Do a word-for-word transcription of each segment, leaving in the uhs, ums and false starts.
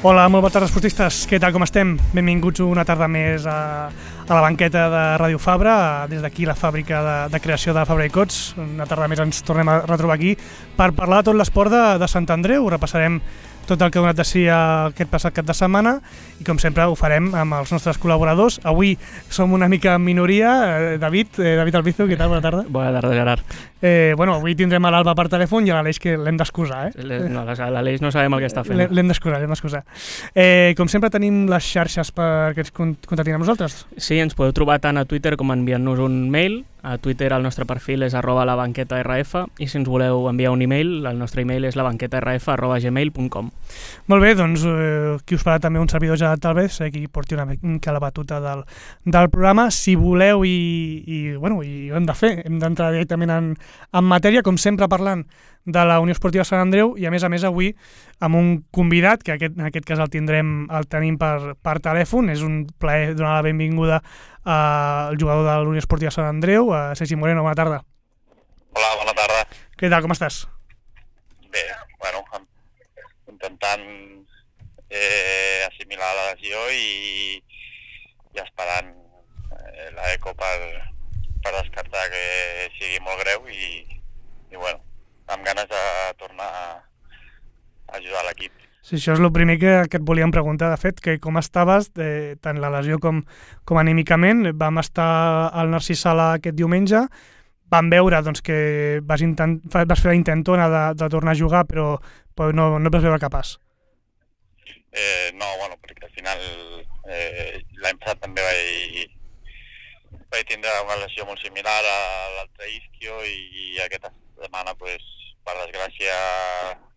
Hola, molt bona tarda, esportistes. Què tal, com estem? Benvinguts una tarda més a, a la banqueta de Ràdio Fabra, des d'aquí la fàbrica de, de creació de Fabra i Cots. Una tarda més ens tornem a retrobar aquí per parlar de tot l'esport de, de Sant Andreu. Repassarem tot el que ha donat de si aquest passat cap de setmana i, com sempre, ho farem amb els nostres col·laboradors. Avui som una mica en minoria. Eh, David, eh, David Albizu, què tal? Bona tarda. Bona tarda, Gerard. Eh, bueno, avui tindrem a l'Alba per telèfon i a l'Aleix, que l'hem d'excusar. Eh? No, l'Aleix no sabem el que està fent. L'hem d'excusar, l'hem d'excusar. Eh, com sempre, tenim les xarxes perquè ens contactin amb nosaltres. Sí, ens podeu trobar tant a Twitter com enviant-nos un mail. A Twitter el nostre perfil és arroba labanquetarf i si ens voleu enviar un email, el nostre email és labanquetarf arroba gmail punt com. Molt bé, doncs eh, qui us farà també un servidor Gerard Talvez, eh, qui porti una mica la batuta del, del programa. Si voleu i, i, bueno, i ho hem de fer, hem d'entrar directament en, en matèria, com sempre parlant de la Unió Esportiva Sant Andreu i a més a més avui amb un convidat, que aquest, en aquest cas el tindrem el tenim per, per telèfon. És un plaer donar la benvinguda al jugador de la Unió Esportiva Sant Andreu, a Sergi Moreno. Bona tarda. Hola, bona tarda. Què tal, com estàs? Bé, bueno, intentant eh, assimilar la lesió i, i esperant eh, l'eco per, per descartar que sigui molt greu i, i bueno, amb ganes de tornar a ajudar l'equip. Sí, això és el primer que, que et volíem preguntar, de fet, que com estaves, eh, tant la lesió com, com anímicament. Vam estar al Narcís Sala aquest diumenge, vam veure doncs, que vas, intent, vas fer la intentona de, de tornar a jugar, però, però no, no et vas veure capaç. Eh, no, bueno, perquè al final eh, l'any passat també vaig, vaig tindre una lesió molt similar a l'altre isquio i, i aquesta setmana, pues, per desgràcia,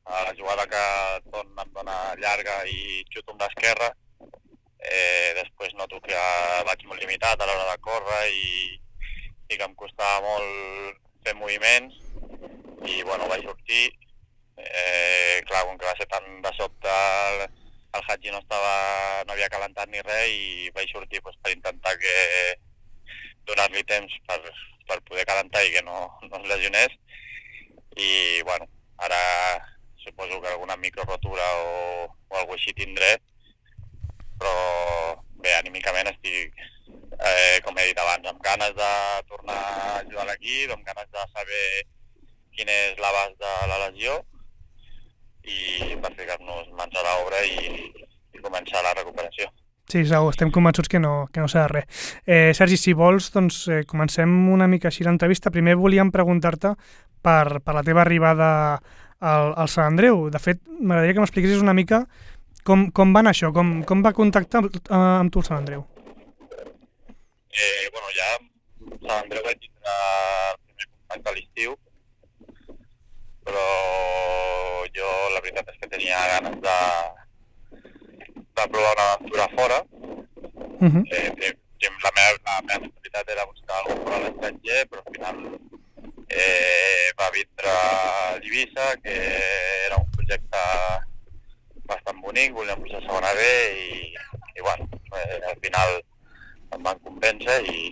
a la jugada que Ton em dona llarga i xuto amb l'esquerra, eh, després noto que vaig molt limitat a l'hora de córrer i, i que em costava molt fer moviments i bueno, vaig sortir. Eh, clar, com que va ser tan de sobte, el, el Hadji no, estava, no havia calentat ni res i vaig sortir pues, per intentar que donar-li temps per, per poder calentar i que no, no es lesionés. I bueno, ara suposo que alguna microrotura o, o alguna així tindré, però bé, anímicament estic, eh, com he dit abans, amb ganes de tornar a ajudar l'equip, amb ganes de saber quin és l'abast de la lesió i per ficar-nos mans a l'obra i, i començar la recuperació. Sí, segur, estem convençuts que no, que no serà res. Eh, Sergi, si vols, doncs eh, comencem una mica així l'entrevista. Primer volíem preguntar-te per, per la teva arribada al, al Sant Andreu. De fet, m'agradaria que m'expliquessis una mica com, com va anar això, com, com va contactar amb, amb tu el Sant Andreu. Eh, bueno, ja Sant Andreu vaig tindre el primer contacte a l'estiu, però jo la veritat és que tenia ganes de, de provar una aventura fora. Uh-huh. eh, la, meva, la meva mentalitat era buscar alguna cosa a l'estranger, però al final eh, va vindre l'Ibiza, que era un projecte bastant bonic, volíem pujar a segona B i, i bueno, eh, al final em van convèncer i,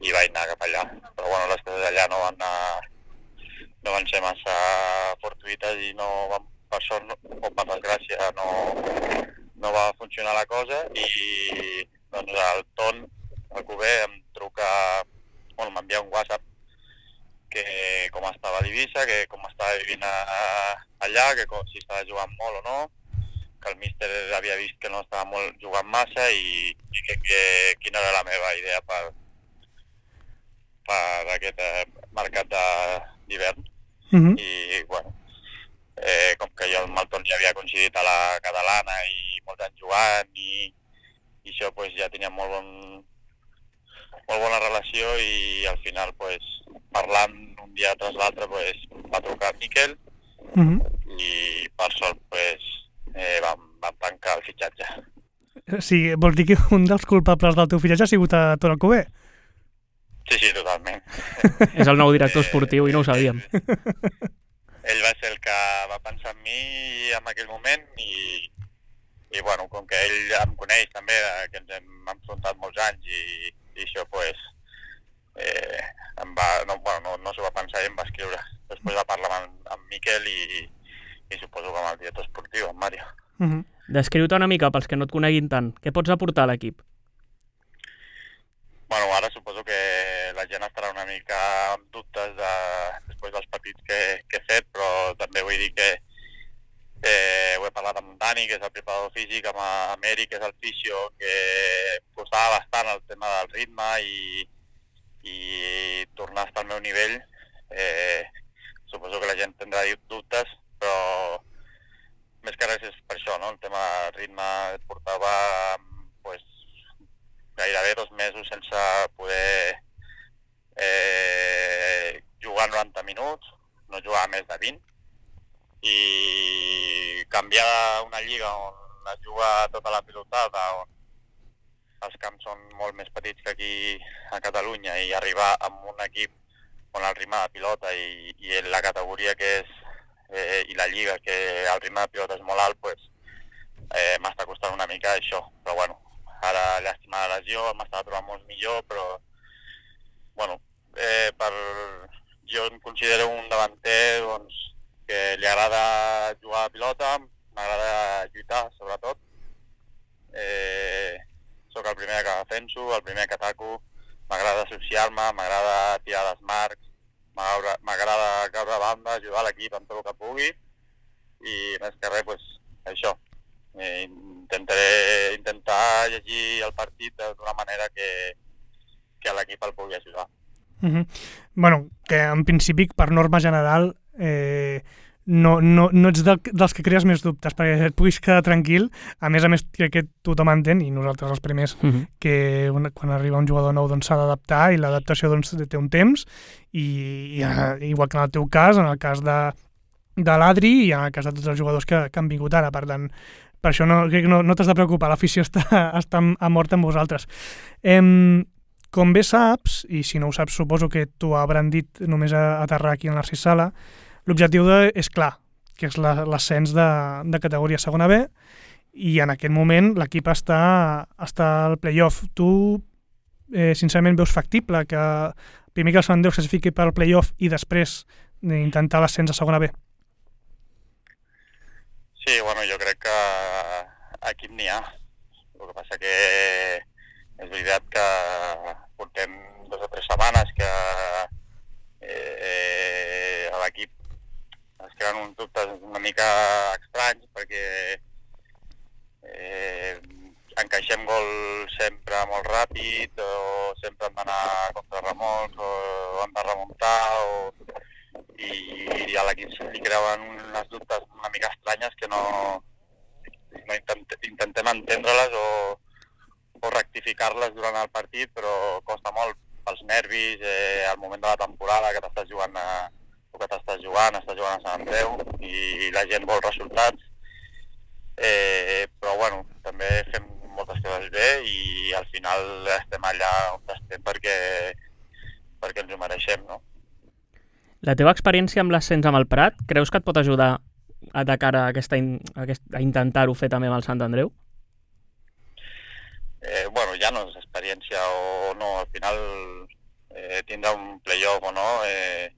i vaig anar cap allà. Però bueno, les coses allà no van, anar, no van ser massa fortuïtes i no van, per sort o per desgràcia no, no va funcionar la cosa i doncs el Ton, el Cuber, em truca, bueno, m'envia un WhatsApp que com estava a l'Ibiza, que com estava vivint a, a, allà, que com, si estava jugant molt o no, que el míster havia vist que no estava molt jugant massa i, i que, que quina era la meva idea per, per aquest eh, mercat d'hivern. Uh-huh. I bueno, eh, com que jo amb el Ton ja havia coincidit a la catalana i molts anys jugant i, i això pues, ja tenia molt bon molt bona relació i al final pues, parlant un dia tras l'altre pues, va trucar Miquel uh-huh. i per sort pues, eh, vam, vam tancar el fitxatge. Sí, vols dir que un dels culpables del teu fitxatge ha sigut a Ton Alcover? Sí, sí, totalment. És el nou director esportiu i no ho sabíem. Ell va ser el que va pensar en mi en aquell moment i, i bueno, com que ell em coneix també, que ens hem enfrontat molts anys i i això, pues, eh, em va, no, bueno, no, no s'ho va pensar i em va escriure. Després va parlar amb, amb Miquel i, i suposo que amb el director esportiu, amb Mario. Uh-huh. Descriu-te una mica pels que no et coneguin tant. Què pots aportar a l'equip? Bueno, ara suposo que la gent estarà una mica amb dubtes de, després dels partits que, que he fet, però també vull dir que eh, ho he parlat amb Dani, que és el preparador físic, amb, amb Eric, que és el fisio, que costava bastant el tema del ritme i, i tornar a estar al meu nivell. Eh, suposo que la gent tindrà dubtes, però més que res és per això, no? El tema del ritme et portava pues, gairebé dos mesos sense poder eh, jugar noranta minuts, no jugar més de vint, i canviar una lliga on es juga tota la pilotada, on els camps són molt més petits que aquí a Catalunya, i arribar amb un equip on el ritme de pilota i, i la categoria que és eh, i la lliga, que el ritme de pilota és molt alt, pues, eh, m'està costant una mica això, però bueno, ara llàstima de lesió, m'estava trobant molt millor, però bueno, eh, per... jo em considero un davanter doncs, que li agrada jugar a pilota, m'agrada lluitar sobretot, eh, sóc el primer que defenso, el primer que ataco, m'agrada associar-me, m'agrada tirar les marcs, m'agrada caure a banda, ajudar l'equip amb tot el que pugui, i més que res, pues, això. Eh, intentaré intentar llegir el partit d'una manera que, que l'equip el pugui ajudar. Uh-huh. Bueno, que en principi, per norma general, eh, no, no, no ets de, dels que crees més dubtes, perquè et puguis quedar tranquil. A més a més, crec que tothom entén, i nosaltres els primers, uh-huh. que una, quan arriba un jugador nou doncs, s'ha d'adaptar, i l'adaptació doncs, té un temps, i, i igual que en el teu cas, en el cas de, de l'Adri, i en el cas de tots els jugadors que, que han vingut ara. Per tant, per això no, crec que no, no t'has de preocupar, l'afició està, està a mort amb vosaltres. Em, com bé saps, i si no ho saps suposo que t'ho hauran dit només a aterrar aquí en Narcís Sala, l'objectiu de, és clar, que és l'ascens de, de categoria segona B, i en aquest moment l'equip està, està al play-off. Tu, eh, sincerament, veus factible que primer que el Sant Andreu es classifiqui per al play-off i després intentar l'ascens a segona B? Sí, bueno, jo crec que equip n'hi ha. El que passa que és veritat que portem dues o tres setmanes que eh, a l'equip es creen uns dubtes una mica estranys, perquè eh, encaixem gol sempre molt ràpid, o sempre hem d'anar contra remolcs, o hem de remuntar, o... i, i a l'equip se li creuen unes dubtes una mica estranyes que no, no intent, intentem entendre-les o, o rectificar-les durant el partit, però costa molt pels nervis, eh, al moment de la temporada que t'estàs jugant a que t'estàs jugant, estàs jugant a Sant Andreu i la gent vol resultats, eh, però bueno, també fem moltes coses bé i al final estem allà on estem perquè, perquè ens ho mereixem, no? La teva experiència amb l'ascens amb el Prat, creus que et pot ajudar a de cara a, aquesta, a, aquest, a intentar-ho fer també amb el Sant Andreu? Eh, bueno, ja no és experiència o no, al final eh, tindrà un play-off o no, eh,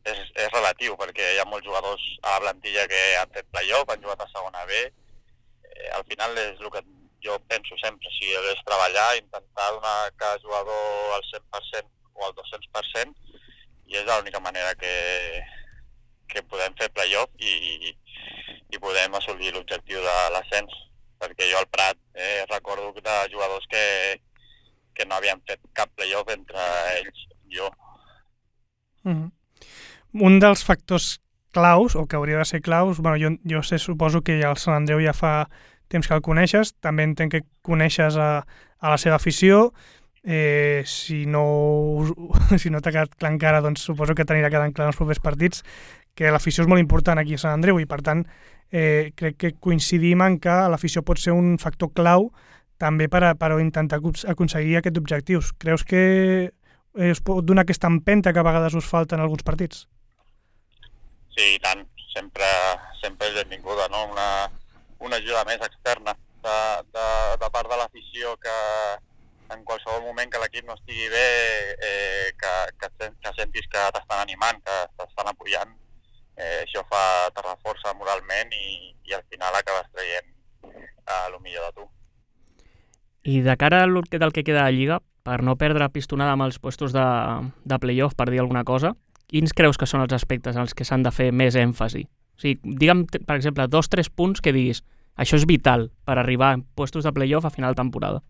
És, és relatiu, perquè hi ha molts jugadors a la plantilla que han fet play-off, han jugat a segona B. Eh, al final és el que jo penso sempre, si és treballar, intentar donar a cada jugador el cent per cent o el dos-cents per cent, i és l'única manera que, que podem fer play-off i, i podem assolir l'objectiu de l'ascens, perquè jo al Prat eh, recordo de jugadors que, que no havien fet cap play-off entre ells i jo. Mm-hmm. Un dels factors claus, o que hauria de ser claus, bueno, jo, jo sé, suposo que el Sant Andreu ja fa temps que el coneixes, també entenc que coneixes a, a la seva afició, eh, si no, si no t'ha quedat clar encara, doncs suposo que t'anirà quedant clar en els propers partits, que l'afició és molt important aquí a Sant Andreu i per tant eh, crec que coincidim en que l'afició pot ser un factor clau també per, a, per a intentar aconseguir aquests objectius. Creus que es pot donar aquesta empenta que a vegades us falta en alguns partits? Sí, i tant. Sempre, sempre és benvinguda, no? Una, una ajuda més externa de, de, de part de l'afició, que en qualsevol moment que l'equip no estigui bé, eh, que, que, que sentis que t'estan animant, que t'estan apoyant. Eh, això fa, te reforça moralment i, i al final acabes traient I de cara al que del que queda de Lliga, per no perdre pistonada amb els puestos de, de playoff, per dir alguna cosa, quins creus que són els aspectes en els que s'han de fer més èmfasi? O sigui, digue'm, per exemple, dos o tres punts que diguis això és vital per arribar a puestos de playoff a final de temporada.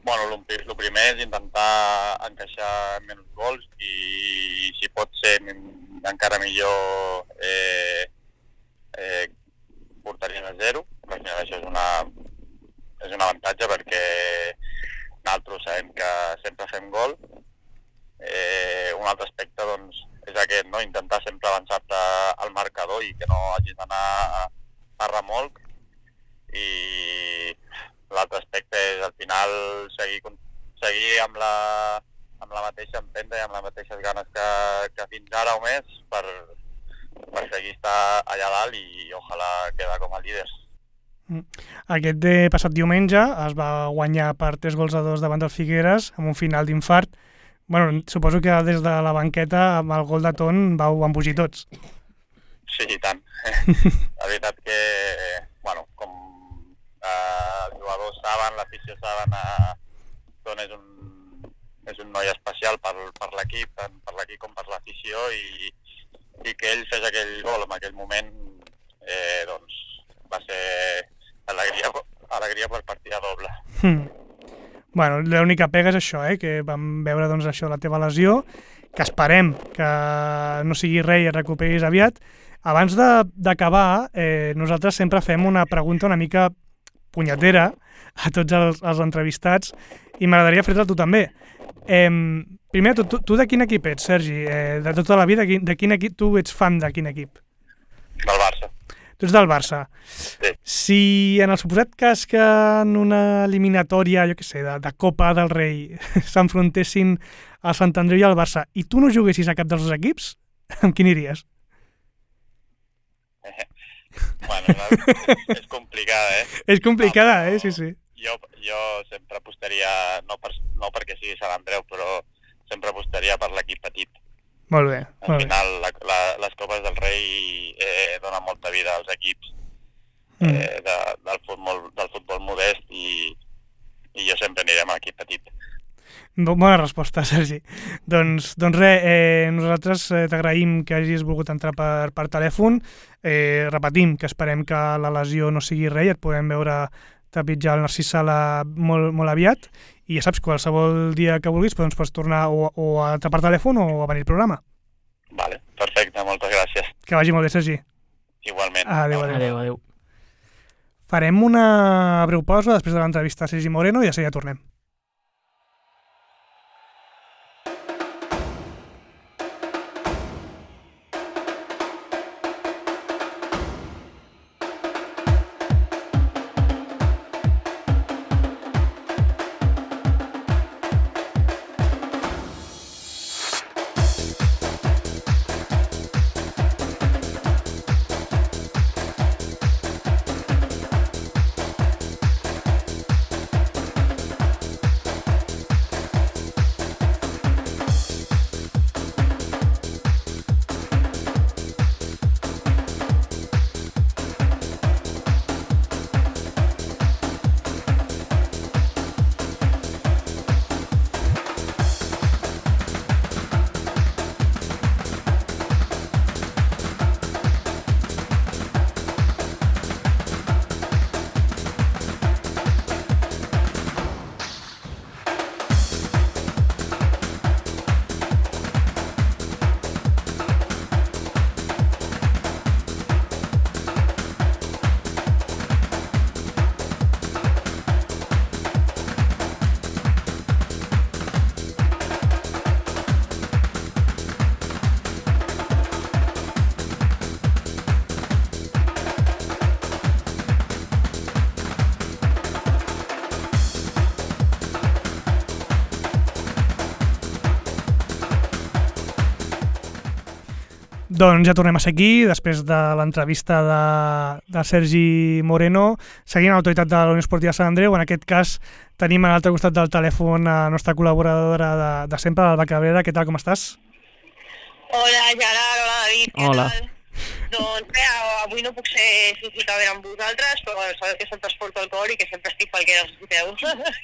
Bueno, el primer és intentar encaixar menys gols i, si pot ser encara millor, eh, eh, porteries a zero. Al final això és una, és un avantatge perquè nosaltres sabem que sempre fem gol. Eh, un altre aspecte doncs, és aquest, no? Intentar sempre avançar-te al marcador i que no hagis d'anar a, a remolc. I l'altre aspecte és al final seguir, seguir amb, la, amb la mateixa empenta i amb les mateixes ganes que, que fins ara o més per, per seguir estar allà dalt i ojalà quedar com a líders. Aquest de passat diumenge es va guanyar per tres gols a dos davant del Figueres amb un final d'infart. Bueno, suposo que des de la banqueta amb el gol de Ton vau embogir tots. Sí, i tant. La veritat que, bueno, com eh, els jugadors saben, l'afició saben, eh, Ton és un, és un noi especial per, per l'equip, tant per l'equip com per l'afició, i, i que ell fes aquell gol en aquell moment, eh, doncs, va ser alegria, alegria per partida doble. Hmm. Bueno, l'única pega és això, eh? Que vam veure doncs, això, la teva lesió, que esperem que no sigui res i et recuperis aviat. Abans d'acabar, eh, nosaltres sempre fem una pregunta una mica punyetera a tots els, els entrevistats i m'agradaria fer-te a tu també. Eh, primer, tu, tu, tu de quin equip ets, Sergi? Eh, de tota la vida, de quin equip tu ets fan de quin equip? Del Barça. Tu ets del Barça. Sí. Si en el suposat cas que en una eliminatòria, jo què sé, de, de Copa del Rei s'enfrontessin el Sant Andreu i el Barça i tu no juguessis a cap dels dos equips, amb quin iries? Bueno, és, és complicada, eh? És complicada, no, eh? Sí, sí. Jo, jo sempre apostaria, no, per, no perquè sigui Sant Andreu, però sempre apostaria per l'equip petit. Molt bé. Al molt final, la, la, les Copes del Rei eh, donen molta vida als equips eh, mm. de, del, futbol, del futbol modest i, i jo sempre aniré amb l'equip petit. Bona resposta, Sergi. Doncs, doncs res, eh, nosaltres eh, t'agraïm que hagis volgut entrar per, per telèfon. Eh, repetim que esperem que la lesió no sigui res i et podem veure trepitjar el Narcís Sala molt, molt aviat. I ja saps, qualsevol dia que vulguis doncs pots tornar o, o a entrar per telèfon o a venir al programa. Vale, perfecte, moltes gràcies. Que vagi molt bé, Sergi. Igualment. Adéu, adéu. Adéu, adéu. Farem una breu pausa després de l'entrevista a Sergi Moreno i ja ja tornem. Doncs ja tornem a ser aquí, després de l'entrevista de, de Sergi Moreno, seguint l'autoritat de la Unió Esportiva Sant Andreu. En aquest cas tenim a l'altre costat del telèfon a la nostra col·laboradora de, de sempre, l'Alba Cabrera. Què tal, com estàs? Hola, Gerard, hola, David, què Hola. tal? Doncs bé, avui no puc ser físicament amb vosaltres, però sabeu que és el transport alcohòlic, que sempre estic falquera, escolteu.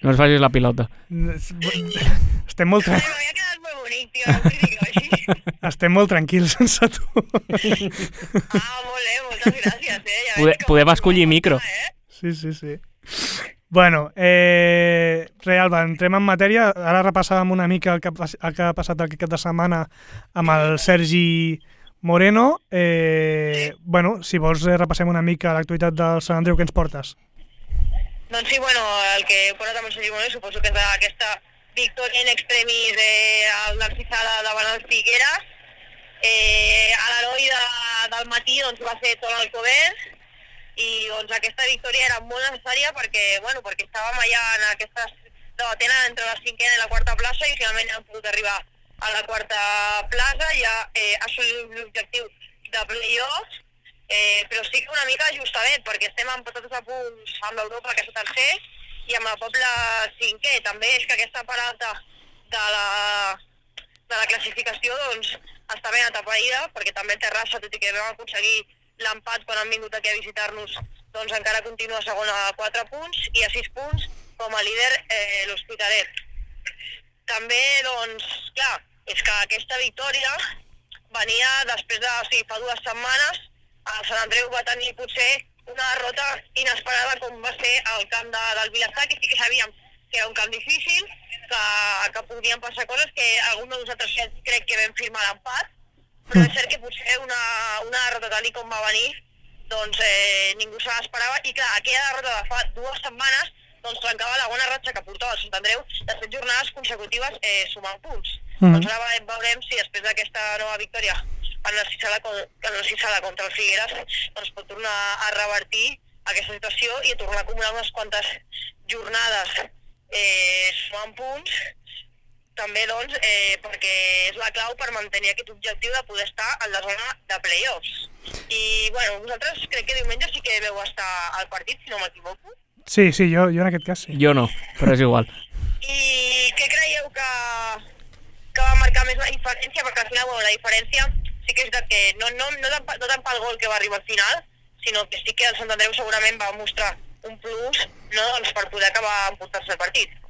No es facis la pilota. Estem molt, tra... M'havia quedat molt bonic, tio, no us dic així. Estem molt tranquils sense tu. Ah, molt bé, moltes gràcies, eh? Ja Pode, podem escollir micro. Eh? Sí, sí, sí. Bueno, eh, re, Alba, entrem en matèria. Ara repassàvem una mica el que, el que ha passat aquest cap de setmana amb el Sergi Moreno. Eh, bueno, si vols repassem una mica l'actualitat del Sant Andreu, què ens portes? Doncs sí, bueno, el que he portat amb el Sergi Moreno suposo que és aquesta victòria in extremis eh, al Narcisala davant el Figueres. Eh, a l'heroi de, del matí doncs, va ser tot Alcover, i doncs aquesta victòria era molt necessària perquè, bueno, perquè estàvem allà en aquesta debatent entre la cinquena i la quarta plaça i finalment hem pogut arribar a la quarta plaça, ja eh, assolim l'objectiu de play-offs, eh, però sí que una mica justament perquè estem empatats a punts amb l'Europa, que és el tercer, i amb el Poble cinquè. També és que aquesta part alta de la, de la classificació doncs, està ben atapeïda, perquè també Terrassa, tot i que vam aconseguir l'empat quan han vingut aquí a visitar-nos, doncs encara continua segona a quatre punts i a sis punts com a líder eh, l'Hospitalet. També, doncs, clar, és que aquesta victòria venia després de, o sigui, fa dues setmanes, el Sant Andreu va tenir potser una derrota inesperada com va ser el camp de, del Vilassar, que sí que sabíem que era un camp difícil, que, que podien passar coses, que algun de nosaltres crec que vam firmar l'empat, però és cert que potser una, una derrota tal com va venir, doncs eh, ningú se l'esperava, i clar, aquella derrota de fa dues setmanes doncs trencava la bona ratxa que portava el Sant Andreu de set jornades consecutives eh, sumant punts. Mm. Doncs ara veurem si després d'aquesta nova victòria en la Narcisala contra el Figueres doncs pot tornar a revertir aquesta situació i a tornar a acumular unes quantes jornades eh, sumant punts, també doncs, eh, perquè és la clau per mantenir aquest objectiu de poder estar en la zona de play-offs. I, bueno, vosaltres crec que diumenge sí que veu estar al partit, si no m'equivoco. Sí, sí, jo, jo en aquest cas sí. Jo no, però és igual. I què creieu que, que va marcar més la diferència? Perquè al final, bueno, la diferència sí que és de que no, no, no, tant, no tant pel gol que va arribar al final, sinó que sí que el Sant Andreu segurament va mostrar un plus, no?, doncs per poder acabar emportant-se el partit.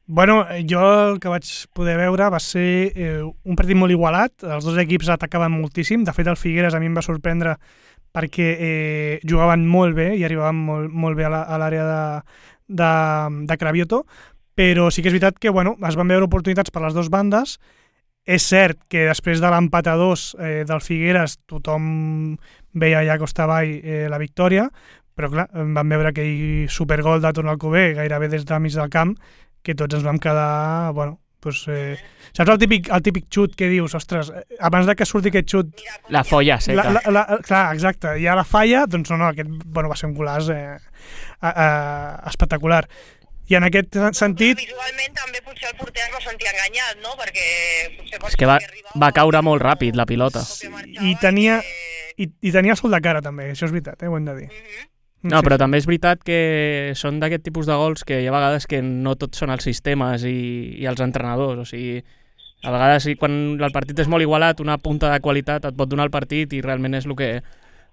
Bueno, jo el que vaig poder veure va ser eh, un partit molt igualat, els dos equips atacaven moltíssim, de fet el Figueres a mi em va sorprendre perquè eh, jugaven molt bé i arribaven molt, molt bé a l'àrea de, de, de Cravioto, però sí que és veritat que bueno, es van veure oportunitats per les dues bandes. És cert que després de l'empat a dos eh, del Figueres tothom veia allà costa avall eh, la victòria, però clar, vam veure aquell supergol de Toni Alcover gairebé des del mig del camp, que tots ens vam quedar, bueno, doncs, eh, saps el típic, el típic xut que dius, ostres, abans de que surti aquest xut... La folla seca. La, la, la, clar, exacte, hi ha la falla, doncs no, no, aquest, bueno, va ser un golaç eh, a, a, espectacular. I en aquest sentit... Però visualment també potser el porter es va sentir enganyat, no?, perquè... Potser és que va, va caure molt ràpid la pilota. I tenia, i, i tenia sol de cara també, això és veritat, eh, ho hem de dir. Mm-hmm. No, però també és veritat que són d'aquest tipus de gols que hi ha vegades que no tots són els sistemes i, i els entrenadors, o sigui, a vegades quan el partit és molt igualat, una punta de qualitat et pot donar el partit i realment és el que,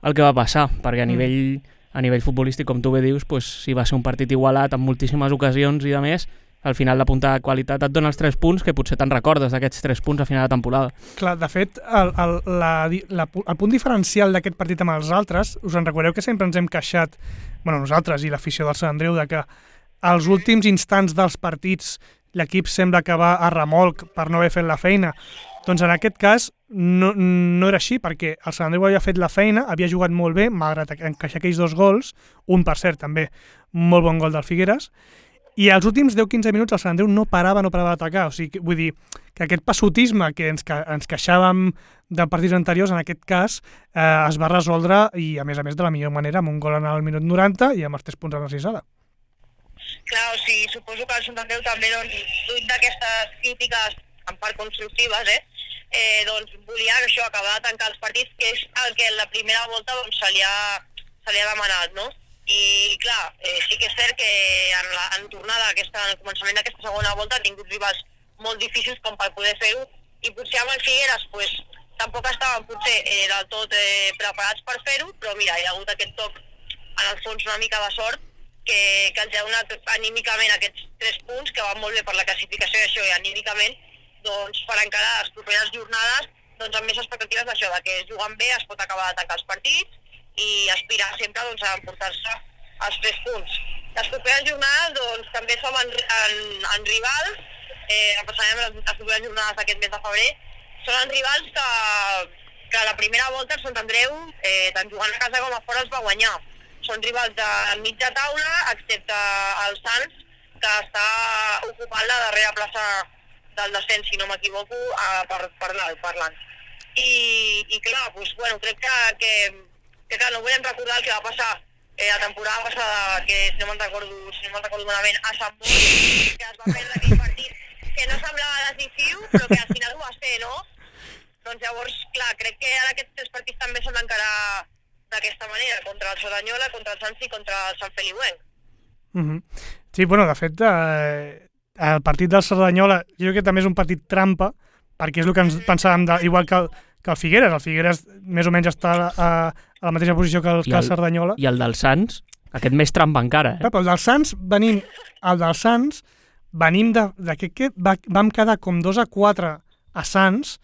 el que va passar, perquè a nivell, a nivell futbolístic, com tu bé dius, pues, si va ser un partit igualat amb moltíssimes ocasions i de més, al final la punta de qualitat et dona els tres punts que potser te'n recordes d'aquests tres punts a final de temporada. Clar, de fet, el, el, la, la, el punt diferencial d'aquest partit amb els altres, us en recordeu que sempre ens hem queixat, bueno, nosaltres i l'afició del Sant Andreu, de que als últims instants dels partits l'equip sembla que va a remolc per no haver fet la feina. Doncs en aquest cas no, no era així, perquè el Sant Andreu havia fet la feina, havia jugat molt bé, malgrat encaixar aquells dos gols, un per cert també, molt bon gol del Figueres, i als últims deu quinze minuts el Sant Andreu no parava, no parava d'atacar. O sigui, vull dir que aquest passotisme que ens, que ens queixàvem de partits anteriors, en aquest cas, eh, es va resoldre, i a més a més de la millor manera, amb un gol en el minut noranta i amb els tres punts a la Narcisala. Clar, o sigui, suposo que el Sant Andreu també, doncs, fruit d'aquestes crítiques en part constructives, eh, eh, doncs volia això, acabar de tancar els partits, que és el que en la primera volta doncs, se li ha, se li ha demanat, no? I clar, eh, sí que és cert que en, la, en tornada, aquesta, en el començament d'aquesta segona volta ha tingut rivals molt difícils com per poder fer-ho, i potser amb el Figueres pues, tampoc estaven potser eh, del tot eh, preparats per fer-ho, però mira, hi ha hagut aquest toc en el fons una mica de sort que, que els ha donat anímicament aquests tres punts, que van molt bé per la classificació i això, i anímicament, doncs, per encarar les properes jornades, doncs, amb més expectatives d'això, de que jugant bé es pot acabar de tancar els partits i aspirar sempre doncs, a emportar-se els tres punts. Les properes jornades doncs, també som en, en, en rivals, eh, repassarem les, les properes jornades d'aquest mes de febrer, són en rivals que, que a la primera volta el Sant Andreu, eh, tant jugant a casa com a fora, es va guanyar. Són rivals de mitja taula, excepte el Sants, que està ocupant la darrera plaça del descens, si no m'equivoco, per, per dalt, parlant. I, i clar, doncs, bueno, crec que, que, que clar, no volem recordar el que va passar eh, la temporada passada, que si no me'n recordo, si no me'n recordo malament, a Sant Boi, que es va perdre aquell partit, que no semblava decisiu, però que al final ho va ser, no? Doncs llavors, clar, crec que ara aquests tres partits també s'han d'encarar d'aquesta manera, contra el Cerdanyola, contra el Sants i contra el Sant Feliuenc. Mm-hmm. Sí, bueno, de fet, eh, el partit del Cerdanyola, jo crec que també és un partit trampa, perquè és el que ens pensàvem, de, igual que el, que el Figueres, el Figueres més o menys està a, a la mateixa posició que el, que el Cerdanyola. I el del Sants, aquest més trampa encara, eh? Però el del Sants, venim, el del Sants, venim de, de que, que va, vam quedar com dos a quatre a Sants,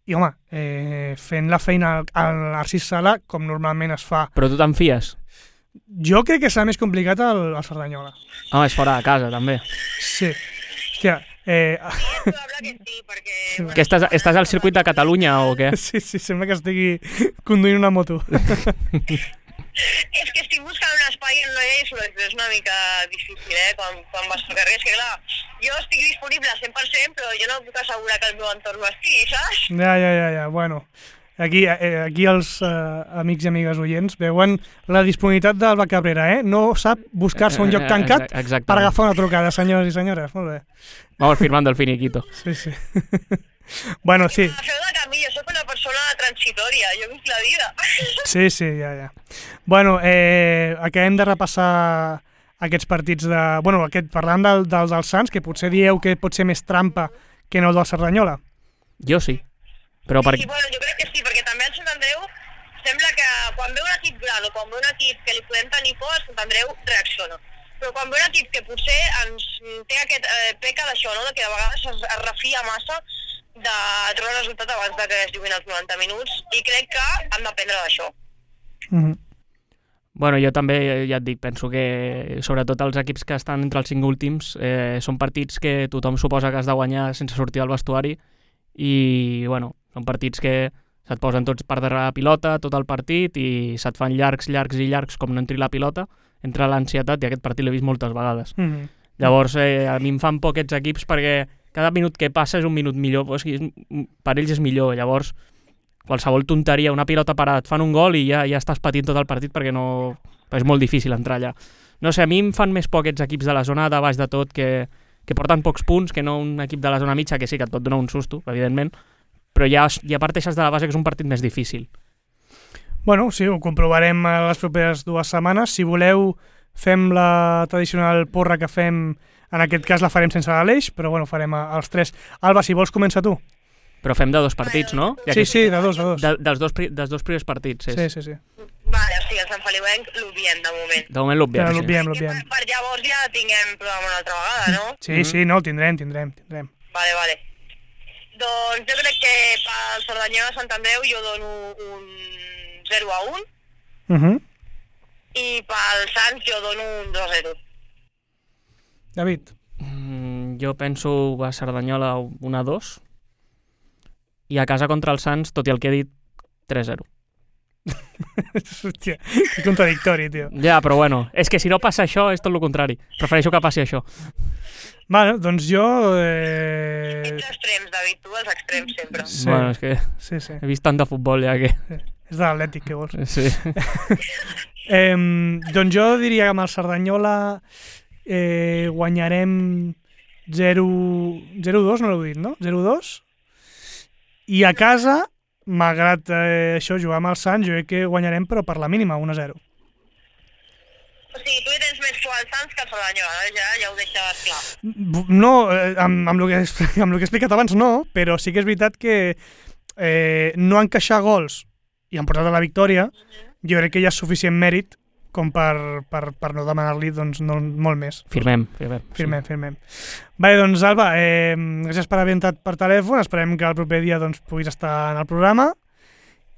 i home, eh, fent la feina al, al Narcís Sala com normalment es fa. Però tu te'n fies? Jo crec que serà més complicat el, el Cerdanyola. Home, és fora de casa, també. Sí. Hòstia, eh... Sí, és probable que sí, perquè... Bueno, que estàs, estàs al circuit de Catalunya o què? Sí, sí, sembla que estigui conduint una moto. És que estic buscant un espai en una llei sobre és una mica difícil, eh, quan, quan vas pel carrer. És que, clar, jo estic disponible al cent per cent, però jo no puc assegurar que el meu entorn ho estigui, saps? Ja, ja, ja, ja. Bueno, aquí, eh, aquí els eh, amics i amigues oients veuen la disponibilitat d'Alba Cabrera, eh? No sap buscar-se un lloc tancat Exactament. per agafar una trucada, senyors i senyores. Molt bé. Vamos firmando el finiquito. Sí, sí. Bueno, sí. A feu de camí, jo soc una persona transitòria, jo visc la vida. Sí, sí, ja, ja. Bueno, eh, acabem de repassar aquests partits de... Bueno, aquest, parlant del, del, del Sants, que potser dieu que pot ser més trampa que no el del Cerdanyola. Jo sí. Però per... Sí, bueno, jo crec que sí, perquè també el Sant Andreu sembla que quan ve un equip gran o quan ve un equip que li podem tenir por, el Sant Andreu reacciona. Però quan ve un equip que potser ens té aquest eh, peca d'això, no? De que de vegades es, es refia massa de trobar el resultat abans de que es juguin els noranta minuts, i crec que han d'aprendre d'això. Mm-hmm. Bueno, jo també, ja et dic, penso que sobretot els equips que estan entre els cinc últims eh, són partits que tothom suposa que has de guanyar sense sortir del vestuari i, bueno, són partits que se't posen tots per darrere la pilota, tot el partit, i se't fan llargs, llargs i llargs com no entri la pilota, entra l'ansietat, i aquest partit l'he vist moltes vegades. Mm-hmm. Llavors, eh, a mi em fan por aquests equips perquè cada minut que passa és un minut millor, o sigui, per ells és millor. Llavors, qualsevol tonteria, una pilota parada, et fan un gol i ja, ja estàs patint tot el partit perquè no... és molt difícil entrar allà. No sé, a mi em fan més por aquests equips de la zona de baix de tot que, que porten pocs punts, que no un equip de la zona mitja, que sí que et pot donar un susto, evidentment, però ja, ja parteixes de la base que és un partit més difícil. Bueno, sí, ho comprovarem a les properes dues setmanes. Si voleu, fem la tradicional porra que fem, en aquest cas la farem sense l'Aleix, però bueno, farem els tres. Alba, si vols, comença tu. Però fem de dos partits, no? Ja sí, que... sí, de dos, de dos. De, dels, dos dels dos primers partits, és. Sí, sí, sí. Vale, o sigui, el Sant Feliuenc l'obviem de moment. De moment l'obviem, Ja, sí. l'obviem, Que l'obviem. per, per llavors ja tinguem programa una altra vegada, no? Sí, sí, no, el tindrem, tindrem, tindrem. Vale, vale. Doncs jo crec que pel Cerdanyola Sant Andreu jo dono un zero a un, Uh-huh. i pel Sants jo dono un dos a zero. David. Mm, jo penso a Cerdanyola un a dos i a casa contra el Sants, tot i el que he dit, tres a zero. Hòstia, que contradictori, tio. Ja, però bueno, és que si no passa això és tot el contrari. Prefereixo que passi això. Vale, doncs jo... Eh... Ets extrems, David, tu els extrems sempre. Sí. Bueno, és que Sí, sí. he vist tant de futbol ja que... És de l'Atlètic, què vols? Sí. Eh, doncs jo diria que amb el Cerdanyola eh, guanyarem zero a dos, no l'heu dit, no? zero a dos. I a casa, malgrat eh, això, jugar amb el Sants, jo crec que guanyarem, però per la mínima, un a zero. O sigui, tu hi tens més por al Sants que al Cerdanyola, no? Ja, ja ho deixes clar. No, eh, amb, amb, el que, amb el que he explicat abans no, però sí que és veritat que eh, no encaixar gols i han portat a la victòria, jo crec que ja és suficient mèrit com per, per, per no demanar-li doncs, no, molt més. Firmem, firmem. Firmem, sí. firmem. Vale, doncs, Alba, eh, gràcies per haver entrat per telèfon. Esperem que el proper dia doncs, puguis estar en el programa.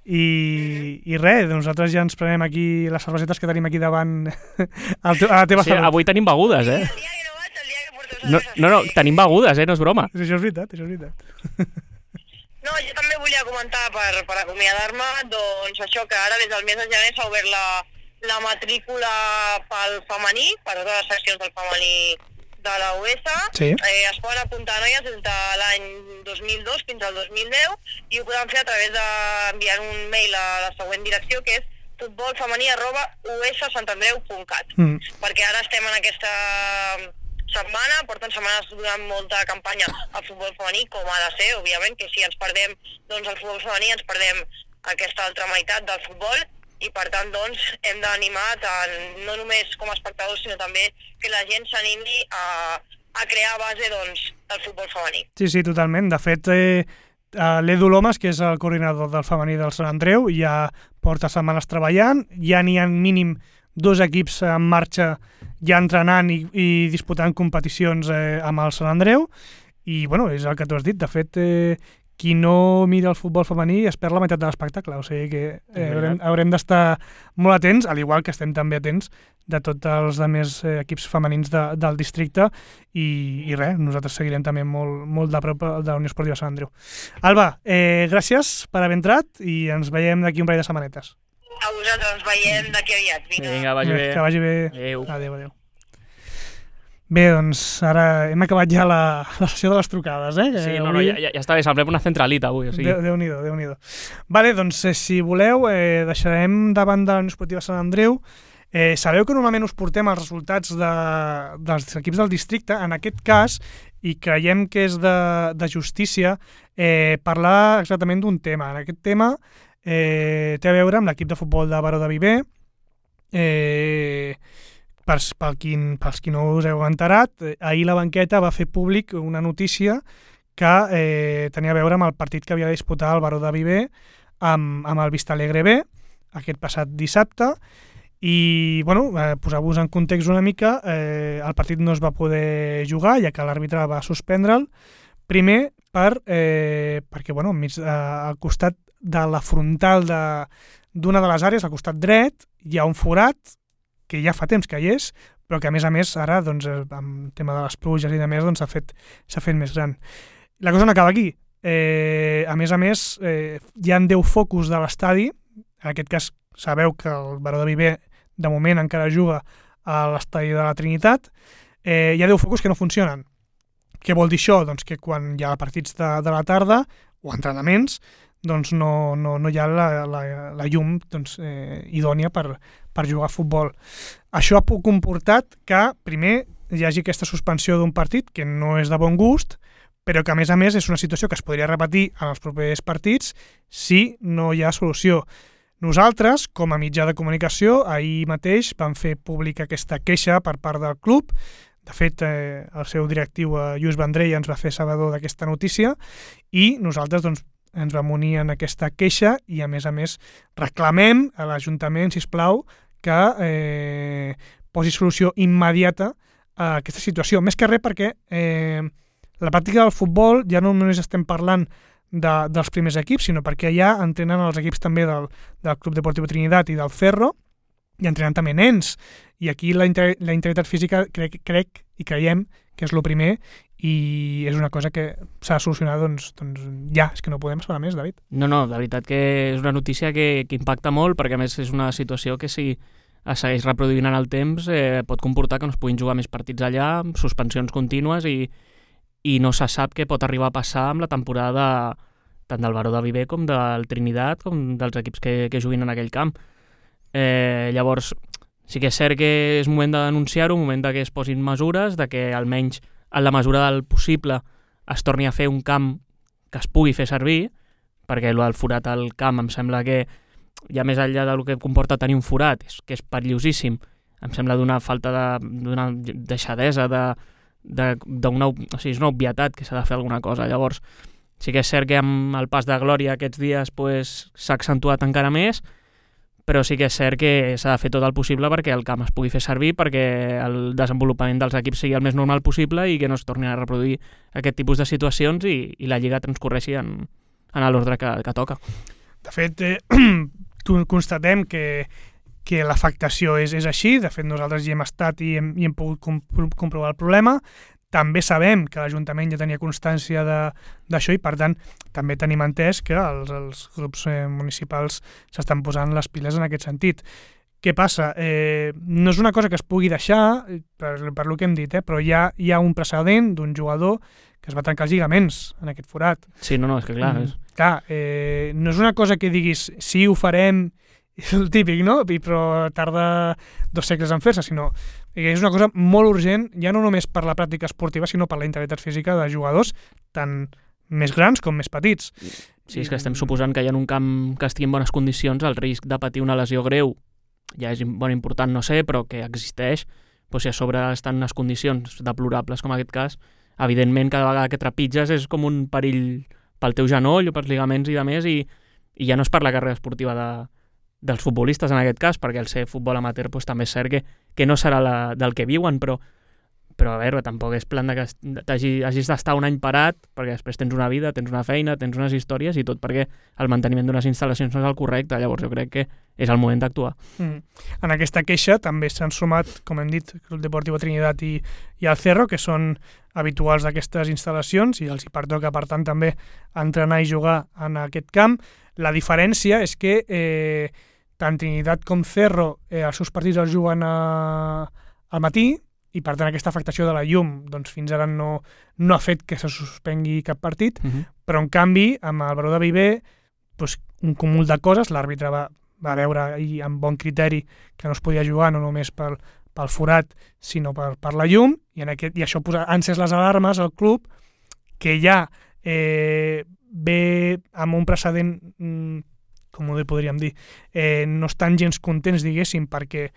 I, i res, nosaltres ja ens prenem aquí les cervesetes que tenim aquí davant a la teva sí, salut. Avui tenim begudes, eh? El dia que no vaig, el dia que porto No, no, no, tenim begudes, eh? No és broma. Això és veritat, això és veritat. No, jo també volia comentar per, per acomiadar-me, doncs això, que ara des del mes de gener s'ha obert la, la matrícula pel femení, per totes les seccions del femení de la U S A. Sí. Eh, es poden apuntar noies des de l'any dos mil dos fins al dos mil deu i ho poden fer a través d'enviar un mail a la següent direcció, que és futbolfemení arroba u s santandreu punt cat. Mm. Perquè ara estem en aquesta setmana, porten setmanes durant molta campanya al futbol femení, com ha de ser, òbviament, que si ens perdem doncs, el futbol femení ens perdem aquesta altra meitat del futbol, i per tant doncs, hem d'animar tant, no només com a espectadors, sinó també que la gent s'animi a, a crear base doncs, del futbol femení. Sí, sí, totalment. De fet, eh, l'Edu Lomas, que és el coordinador del femení del Sant Andreu, ja porta setmanes treballant, ja n'hi ha mínim dos equips en marxa ja entrenant i, i disputant competicions eh, amb el Sant Andreu, i bueno, és el que tu has dit. De fet, eh, qui no mira el futbol femení es perd la meitat de l'espectacle, o sigui que eh, haurem, haurem d'estar molt atents, al igual que estem també atents de tots els altres eh, equips femenins de, del districte, i, i res, nosaltres seguirem també molt, molt de prop de la Unió Esportiva Sant Andreu. Alba, eh, gràcies per haver entrat i ens veiem d'aquí un parell de setmanetes. A vosaltres, ens veiem d'aquí aviat. Vinga, Vinga, vagi bé. Que vagi bé. Adéu. Adéu, adéu. Bé, doncs ara hem acabat ja la, la sessió de les trucades, eh? Sí, no, avui... no, ja, ja està bé, semblem una centralita avui. O sigui. Déu, Déu-n'hi-do, Déu-n'hi-do. Vale, doncs eh, si voleu, eh, deixarem davant de la Unió Esportiva Sant Andreu. Eh, sabeu que normalment us portem els resultats de, dels equips del districte, en aquest cas, i creiem que és de, de justícia, eh, parlar exactament d'un tema. En aquest tema eh, té a veure amb l'equip de futbol de Baró de Viver. Eh... Per, pel qui, pels qui no us heu enterat, eh, ahir la banqueta va fer públic una notícia que eh, tenia a veure amb el partit que havia de disputar el Baró de Viver amb, amb el Vistalegre B aquest passat dissabte, i bueno, eh, posar-vos en context una mica, eh, el partit no es va poder jugar ja que l'àrbitre va suspendre'l, primer per, eh, perquè bueno, mig, eh, al costat de la frontal d'una de, de les àrees, al costat dret, hi ha un forat que ja fa temps que hi és, però que a més a més ara, doncs, amb el tema de les pluges i de més, doncs, s'ha fet, s'ha fet més gran. La cosa no acaba aquí. Eh, a més a més, eh, hi ha deu focus de l'estadi. En aquest cas, sabeu que el Baró de Viver, de moment, encara juga a l'estadi de la Trinitat. Eh, hi ha deu focus que no funcionen. Què vol dir això? Doncs que quan hi ha partits de, de la tarda o entrenaments, doncs no, no, no hi ha la, la, la llum doncs, eh, idònia per, per jugar a futbol. Això ha comportat que, primer, hi hagi aquesta suspensió d'un partit que no és de bon gust, però que, a més a més, és una situació que es podria repetir en els propers partits si no hi ha solució. Nosaltres, com a mitjà de comunicació, ahir mateix vam fer pública aquesta queixa per part del club. De fet, eh, el seu directiu, eh, Lluís Vendrell, ens va fer sabedor d'aquesta notícia i nosaltres, doncs, ens vam unir en aquesta queixa i, a més a més, reclamem a l'Ajuntament, sisplau, que eh, posi solució immediata a aquesta situació. Més que res perquè eh, la pràctica del futbol ja no només estem parlant de, dels primers equips, sinó perquè ja entrenen els equips també del, del Club Deportiu Trinitat i del Ferro, i entrenen també nens. I aquí la, inter la integritat física crec, crec i creiem que és el primer, i és una cosa que s'ha de solucionar doncs, doncs ja, és que no podem esperar més, David. No, no, la veritat que és una notícia que, que impacta molt, perquè a més és una situació que si es segueix reproduint en el temps eh, pot comportar que no es puguin jugar més partits allà, suspensions contínues, i, i no se sap què pot arribar a passar amb la temporada tant del Baró de Viver com del Trinitat, com dels equips que, que juguin en aquell camp. Eh, llavors, sí que és cert que és moment de denunciar-ho, moment de que es posin mesures, de que almenys en la mesura del possible es torni a fer un camp que es pugui fer servir, perquè el del forat al camp em sembla que, ja més enllà del que comporta tenir un forat, és que és perillosíssim, em sembla d'una falta de, d'una deixadesa, de, de, d'una, o sigui, és una obvietat que s'ha de fer alguna cosa. Llavors, sí que és cert que amb el pas de glòria aquests dies pues, s'ha accentuat encara més, però sí que és cert que s'ha de fer tot el possible perquè el camp es pugui fer servir, perquè el desenvolupament dels equips sigui el més normal possible i que no es tornin a reproduir aquest tipus de situacions i, i la Lliga transcorreixi en, en l'ordre que, que toca. De fet, eh, constatem que, que l'afectació és, és així. De fet, nosaltres hi hem estat i hem, i hem pogut comprovar el problema. També sabem que l'Ajuntament ja tenia constància d'això i, per tant, també tenim entès que els, els grups eh, municipals s'estan posant les piles en aquest sentit. Què passa? Eh, no és una cosa que es pugui deixar, per, per lo que hem dit, eh, però hi ha, hi ha un precedent d'un jugador que es va trencar els lligaments en aquest forat. Sí, no, no, és que clar... Mm, és... clar, eh, no és una cosa que diguis sí, ho farem, és el típic, no? I, però tarda dos segles en fer-se, sinó és una cosa molt urgent, ja no només per la pràctica esportiva, sinó per la integritat física de jugadors tant més grans com més petits. Sí, és que estem suposant que hi ha un camp que estigui en bones condicions, el risc de patir una lesió greu ja és bon, important, no sé, però que existeix, doncs si a sobre estan en unes condicions deplorables com en aquest cas, evidentment cada vegada que trepitges és com un perill pel teu genoll o pels ligaments i de més, i, i ja no és per la carrera esportiva de, dels futbolistes en aquest cas, perquè el ser futbol amateur doncs, també és cert que, que no serà la, del que viuen, però, però a veure, tampoc és plan de que hagis d'estar un any parat, perquè després tens una vida, tens una feina, tens unes històries i tot perquè el manteniment d'unes instal·lacions no és el correcte, llavors jo crec que és el moment d'actuar. Mm. En aquesta queixa també s'han sumat, com hem dit, el Club Deportiu Trinitat i, i el Cerro, que són habituals d'aquestes instal·lacions i els hi pertoca, per tant, també entrenar i jugar en aquest camp. La diferència és que eh, tant Trinitat com Cerro eh, els seus partits els juguen a, al matí i, per tant, aquesta afectació de la llum doncs, fins ara no, no ha fet que se suspengui cap partit, uh-huh. però, en canvi, amb el Baró de Viver, doncs, un cúmul de coses, l'àrbitre va, va veure i amb bon criteri que no es podia jugar no només pel, pel forat, sinó per, per la llum, i, en aquest, i això posa, ha encès les alarmes al club, que ja eh, ve amb un precedent, com ho podríem dir, eh, no estan gens contents, diguéssim, perquè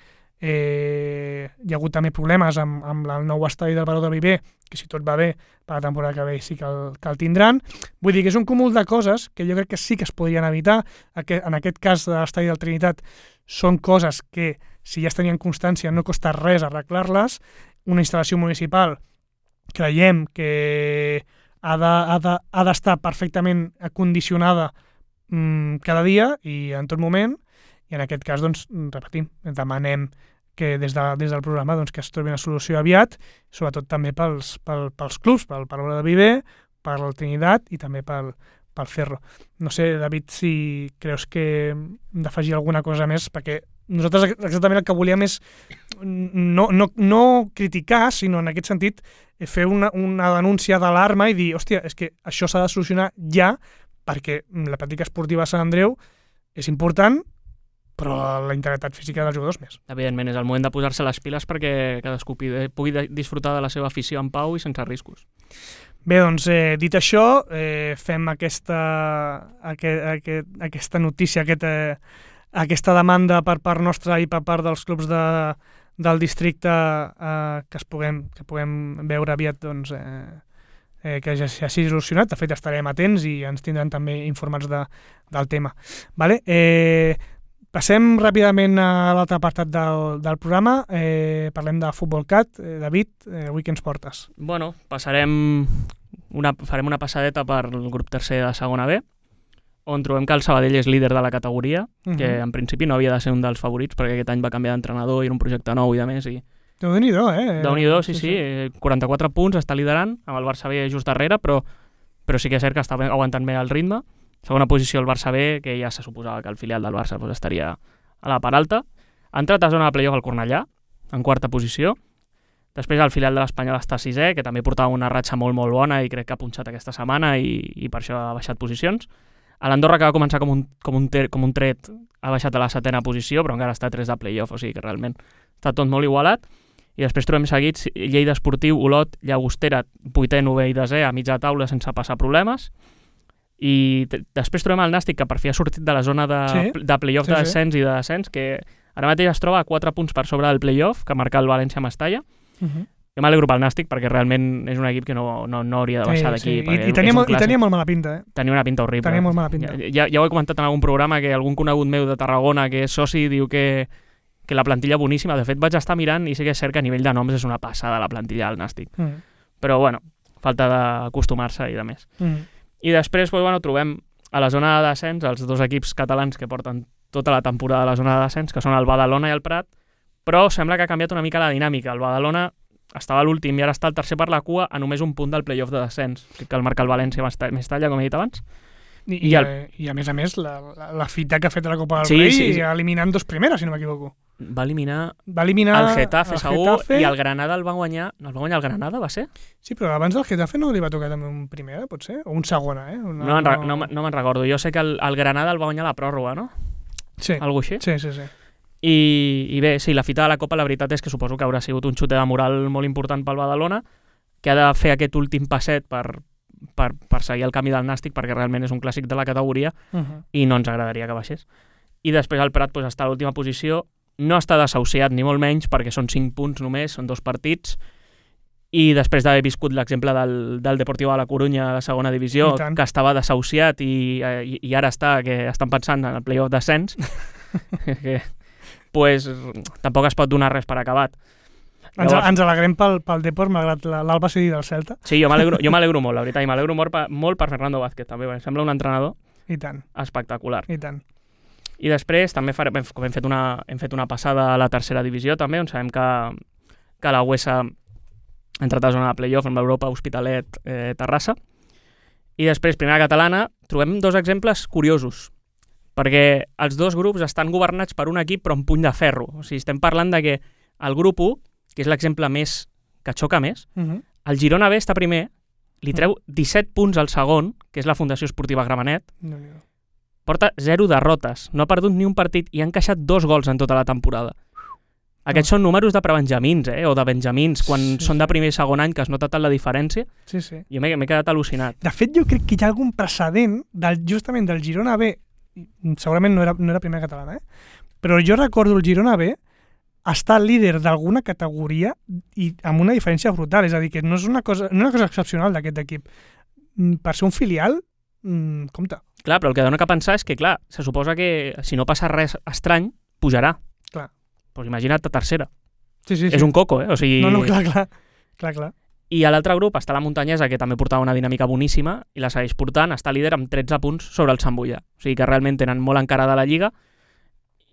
eh, hi ha hagut també problemes amb, amb el nou estadi del Baró de Viver, que si tot va bé, per la temporada que ve sí que el, que el tindran. Vull dir que és un cúmul de coses que jo crec que sí que es podrien evitar. En aquest cas de l'estadi del Trinitat són coses que, si ja es tenien constància, no costa res arreglar-les. Una instal·lació municipal creiem que ha d'estar perfectament acondicionada mmm, cada dia i en tot moment, i en aquest cas, doncs, repetim, demanem que des, de, des del programa doncs, que es trobi una solució aviat, sobretot també pels, pel, pels clubs, pel Baró de Viver, per el Trinitat i també pel, pel Cerro. No sé, David, si creus que hem d'afegir alguna cosa més, perquè nosaltres exactament el que volíem és no, no, no criticar, sinó en aquest sentit fer una, una denúncia d'alarma i dir, hòstia, és que això s'ha de solucionar ja, perquè la pràctica esportiva a Sant Andreu és important, però la integritat física dels jugadors més. Evidentment, és el moment de posar-se les piles perquè cadascú pugui disfrutar de la seva afició en pau i sense riscos. Bé, doncs, eh, dit això, eh, fem aquesta, aquest, aquest, aquesta notícia, aquest, eh, aquesta demanda per part nostra i per part dels clubs de, del districte eh, que, es puguem, que puguem veure aviat doncs, eh, eh, que ja s'hagi solucionat. De fet, estarem atents i ens tindran també informats de, del tema. Vale? Eh, Passem ràpidament a l'altre apartat del, del programa. Eh, parlem de Futbol Cat. Eh, David, eh, avui què ens portes? Bueno, passarem una, farem una passadeta per el grup tercer de segona B, on trobem que el Sabadell és líder de la categoria, uh-huh. que en principi no havia de ser un dels favorits, perquè aquest any va canviar d'entrenador i era un projecte nou i de més. I... Déu-n'hi-do, eh? Déu-n'hi-do, sí, sí, sí. quaranta-quatre punts, està liderant, amb el Barça B just darrere, però, però sí que és cert que està aguantant bé el ritme. Segona posició el Barça B, que ja se suposava que el filial del Barça doncs, estaria a la part alta. Ha entrat a zona de playoff al Cornellà, en quarta posició. Després el filial de l'Espanyol està sisè, que també portava una ratxa molt, molt bona i crec que ha punxat aquesta setmana i, i per això ha baixat posicions. A l'Andorra, que va començar com un, com, un ter, com un tret, ha baixat a la setena posició, però encara està a tres de playoff, o sigui que realment està tot molt igualat. I després trobem seguits Lleida Esportiu, Olot, Llagostera, vuitè, novè i desè, a mitja taula sense passar problemes. I després trobem el Nàstic, que per fi ha sortit de la zona de, sí, de playoff sí, de descens sí. i de descens, que ara mateix es troba a quatre punts per sobre del playoff, que marca el València-Mestalla. Uh-huh. Jo m'alegro pel Nàstic perquè realment és un equip que no, no, no hauria de baixar Sí, d'aquí. sí. perquè I, i, tenia és un molt, I clàssic. tenia molt mala pinta, eh? Tenia una pinta horrible. Tenia molt mala pinta. Ja, ja, ja ho he comentat en algun programa que algun conegut meu de Tarragona que és soci diu que, que la plantilla boníssima. De fet, vaig estar mirant i sí que és cert que a nivell de noms és una passada la plantilla del Nàstic. Mm. Però, bueno, falta d'acostumar-se i de més. Mm. I després, doncs, bueno, trobem a la zona de descens els dos equips catalans que porten tota la temporada a la zona de descens, que són el Badalona i el Prat, però sembla que ha canviat una mica la dinàmica. El Badalona estava a l'últim i ara està el tercer per la cua a només un punt del playoff de descens, que el marca el València més talla, com he dit abans. I, I i, el- el... i a més a més, la, la, la fita que ha fet a la Copa del Sí, Rei, sí, sí. eliminant dos primeres, si no m'equivoco. Va eliminar Va eliminar el Getafe, el segur, Getafe. i el Granada el va guanyar... No, el va guanyar el Granada, va ser? Sí, però abans del Getafe no li va tocar també un primera, potser? O un segona, eh? Una, No, no, no, no me'n recordo. Jo sé que el, el Granada el va guanyar a la pròrroga, no? Sí, Algo així? sí, sí. sí. I, I bé, sí, la fita de la Copa la veritat és que suposo que haurà sigut un xute de moral molt important pel Badalona, que ha de fer aquest últim passet per, per, per seguir el camí del Nàstic, perquè realment és un clàssic de la categoria Uh -huh. i no ens agradaria que baixés. I després el Prat pues, està a l'última posició, no està desahuciat ni molt menys, perquè són cinc punts només, són dos partits, i després d'haver viscut l'exemple del, del Deportiu de la Corunya a la segona divisió, I tant. que estava desahuciat i, i, i ara està, que estan pensant en el playoff d'ascens, que pues, tampoc es pot donar res per acabat. Ens, Llavors- ens alegrem pel, pel Depor, malgrat la- l'Alba sigui del Celta. Sí, jo m'alegro jo m'alegro molt, la veritat, i m'alegro molt, per- molt per Fernando Vázquez, també, perquè em sembla un entrenador I tant, espectacular. i tant. I després també farem, com hem fet, una, hem fet una passada a la tercera divisió, també, on sabem que, que la Huesa ha entrat a zona de playoff amb l'Europa Hospitalet eh, Terrassa. I després, primera catalana, trobem dos exemples curiosos, perquè els dos grups estan governats per un equip però amb puny de ferro. O sigui, estem parlant de que el grup u, que és l'exemple més que xoca més, Uh -huh. el Girona B està primer, li treu disset punts al segon, que és la Fundació Esportiva Gramenet, Déu-n'hi-do. porta zero derrotes, no ha perdut ni un partit i ha encaixat dos gols en tota la temporada. Aquests són números de prebenjamins, eh? O de benjamins, quan Sí, són de sí. primer i segon any, que es nota tant la diferència. Sí, sí. Jo m'he m'he quedat al·lucinat. De fet, jo crec que hi ha algun precedent del, justament del Girona B, segurament no era, no era primera catalana, eh? Però jo recordo el Girona B estar líder d'alguna categoria i amb una diferència brutal, és a dir, que no és una cosa, no és una cosa excepcional d'aquest equip. Mm, Per ser un filial, mm, compte. Clar, però el que dona que pensar és que, clar, se suposa que si no passa res estrany, pujarà. Clar. Pues imagina't a tercera. Sí, sí, sí. És un coco, eh? O sigui... No, no, clar, clar. clar, clar. I a l'altre grup està la Muntanyesa, que també portava una dinàmica boníssima, i la segueix portant, està líder amb tretze punts sobre el Sant Boià. O sigui que realment tenen molt encarada la Lliga,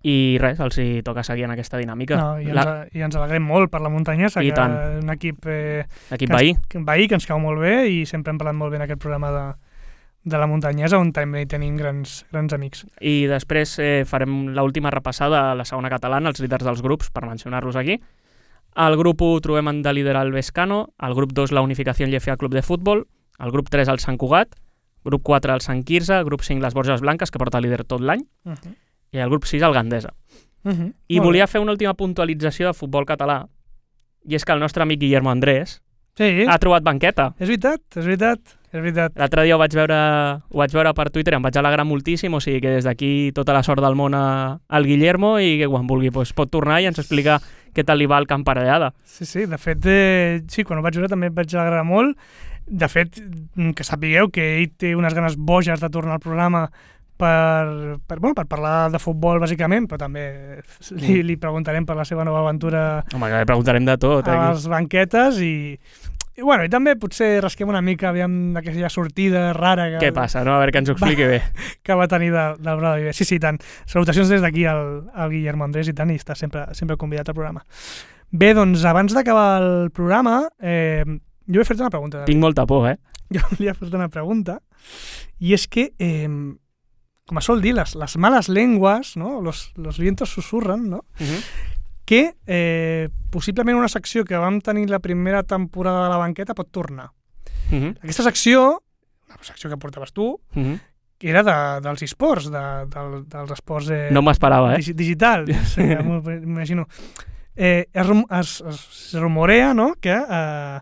i res, els hi toca seguir en aquesta dinàmica. No, i, ens, La- I ens alegrem molt per la Muntanyesa, I que tant. és un equip eh, L'equip que ens- veí. que, veí que ens cau molt bé i sempre hem parlat molt bé en aquest programa de, de la Muntanyesa, on també hi tenim grans, grans amics. I després eh, farem l'última repassada a la segona catalana, els líders dels grups, per mencionar-los aquí. Al grup u trobem en de líder el Vescano, al grup dos la Unificació L F A Club de Futbol, al grup tres el Sant Cugat, grup quatre el Sant Quirze, grup cinc les Borges Blanques, que porta líder tot l'any, Uh -huh. i al grup sis el Gandesa. Uh -huh. I volia fer una última puntualització de futbol català, i és que el nostre amic Guillermo Andrés Sí, ha trobat banqueta. és veritat, és veritat, és veritat. L'altre dia ho vaig veure, ho vaig veure per Twitter i em vaig alegrar moltíssim, o sigui que des d'aquí tota la sort del món a- al Guillermo i que quan vulgui pues, pot tornar i ens explicar què tal li va el camp parellada. Sí, sí, de fet, eh, sí, quan ho vaig veure també em vaig alegrar molt. De fet, mm, que sapigueu que ell té unes ganes boges de tornar al programa per, per, bueno, per parlar de futbol, bàsicament, però també li, li preguntarem per la seva nova aventura Home, que li preguntarem de tot. a Eh? les banquetes i, i, bueno, i també potser rasquem una mica aviam d'aquella sortida rara que, Què passa, no? A veure que ens ho expliqui bé. que va tenir de, del Bravo Viver. Sí, sí, i tant. Salutacions des d'aquí al, al Guillermo Andrés i tant, i està sempre, sempre convidat al programa. Bé, doncs, abans d'acabar el programa, eh, jo he fet una pregunta. David. Tinc molta por, eh? Jo volia fer una pregunta, i és que, eh, com es sol dir, les, les males lenguas, ¿no? los, los vientos susurran, ¿no? Uh -huh. que eh, possiblement una secció que vam tenir la primera temporada de la banqueta pot tornar. Uh -huh. Aquesta secció, una secció que portaves tu, Uh -huh. que era de, dels esports, de, de, dels esports eh, No m'esperava, eh? digi- digital, sí, ja m'ho m'imagino. Eh, es, rum- es, es rumorea, no?, que eh,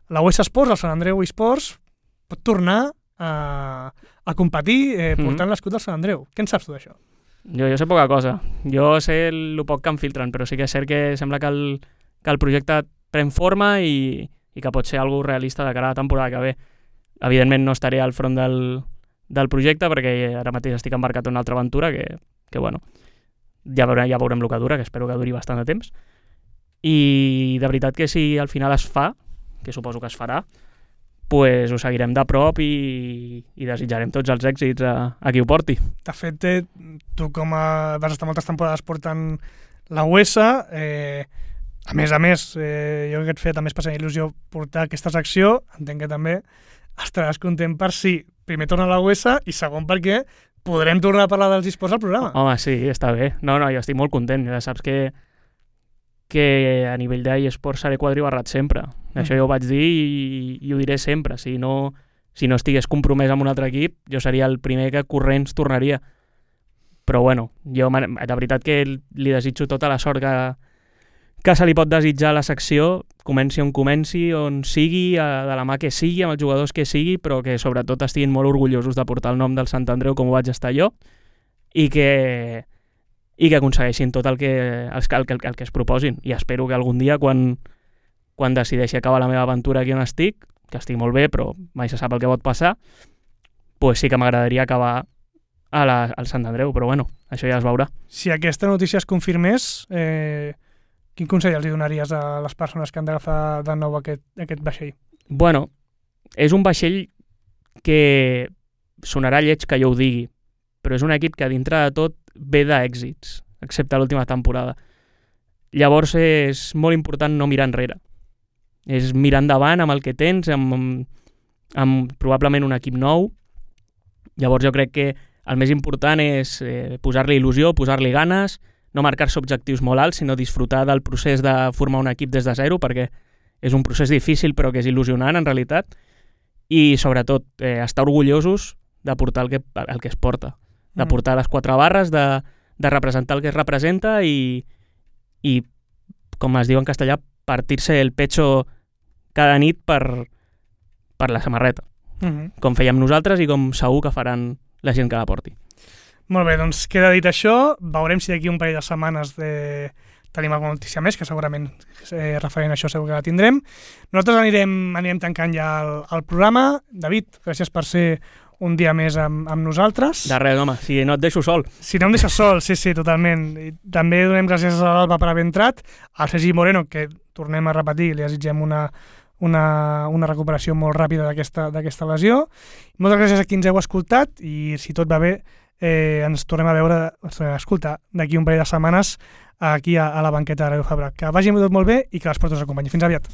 la U S Sports, el Sant Andreu eSports, pot tornar a, a competir eh, portant Mhm. l'escut del Sant Andreu. Què en saps tu d'això? Jo, jo sé poca cosa. Jo sé el poc que em filtren, però sí que és cert que sembla que el, que el projecte pren forma i, i que pot ser algo realista de cara a la temporada que ve. Evidentment no estaré al front del, del projecte perquè ara mateix estic embarcat en una altra aventura que, que bueno, ja veurem, ja veurem el que dura, que espero que duri bastant de temps. I de veritat que si al final es fa, que suposo que es farà, pues ho seguirem de prop i, i desitjarem tots els èxits a, a qui ho porti. De fet, eh, tu com a, vas estar moltes temporades portant la U S, eh, a més a més, eh, jo que et feia també especial il·lusió portar aquesta secció, entenc que també estaràs content per si primer torna a la U S i segon perquè podrem tornar a parlar dels esports al programa. Home, sí, està bé. No, no, jo estic molt content. Ja saps que que a nivell d'eSports seré quadribarrat sempre. Mm. Això jo ho vaig dir i, i ho diré sempre. Si no, si no estigués compromès amb un altre equip, jo seria el primer que corrents tornaria. Però bueno, jo de veritat que li desitjo tota la sort que, que se li pot desitjar a la secció, comenci on comenci, on sigui, de la mà que sigui, amb els jugadors que sigui, però que sobretot estiguin molt orgullosos de portar el nom del Sant Andreu com ho vaig estar jo, i que i que aconsegueixin tot el que, el, el, el que es proposin. I espero que algun dia, quan, quan decideixi acabar la meva aventura aquí on estic, que estic molt bé, però mai se sap el que pot passar, pues sí que m'agradaria acabar a la, al Sant Andreu, però bueno, això ja es veurà. Si aquesta notícia es confirmés, eh, quin consell els donaries a les persones que han d'agafar de nou aquest, aquest vaixell? Bueno, és un vaixell que sonarà lleig que jo ho digui, però és un equip que dintre de tot ve d'èxits, excepte l'última temporada. Llavors és molt important no mirar enrere. És mirar endavant amb el que tens, amb, amb, amb probablement un equip nou. Llavors jo crec que el més important és eh, posar-li il·lusió, posar-li ganes, no marcar-se objectius molt alts, sinó disfrutar del procés de formar un equip des de zero, perquè és un procés difícil però que és il·lusionant en realitat, i sobretot eh, estar orgullosos de portar el que, el que es porta, de portar les quatre barres, de, de representar el que es representa i, i, com es diu en castellà, partir-se el pecho cada nit per, per la samarreta, uh-huh. com fèiem nosaltres i com segur que faran la gent que la porti. Molt bé, doncs queda dit això. Veurem si d'aquí un parell de setmanes de... tenim alguna notícia més, que segurament eh, referent a això segur que la tindrem. Nosaltres anirem, anirem tancant ja el, el programa. David, gràcies per ser un dia més amb, amb nosaltres. De res, home, si no et deixo sol. Si no em deixes sol, sí, sí, totalment. I també donem gràcies a l'Alba per haver entrat, al Sergi Moreno, que tornem a repetir, li desitgem una, una, una recuperació molt ràpida d'aquesta d'aquesta lesió. Moltes gràcies a qui ens heu escoltat i, si tot va bé, eh, ens tornem a veure, ens tornem a escoltar d'aquí un parell de setmanes aquí a, a la banqueta de Ràdio Fabra. Que vagi tot molt bé i que l'esport us acompanyi. Fins aviat.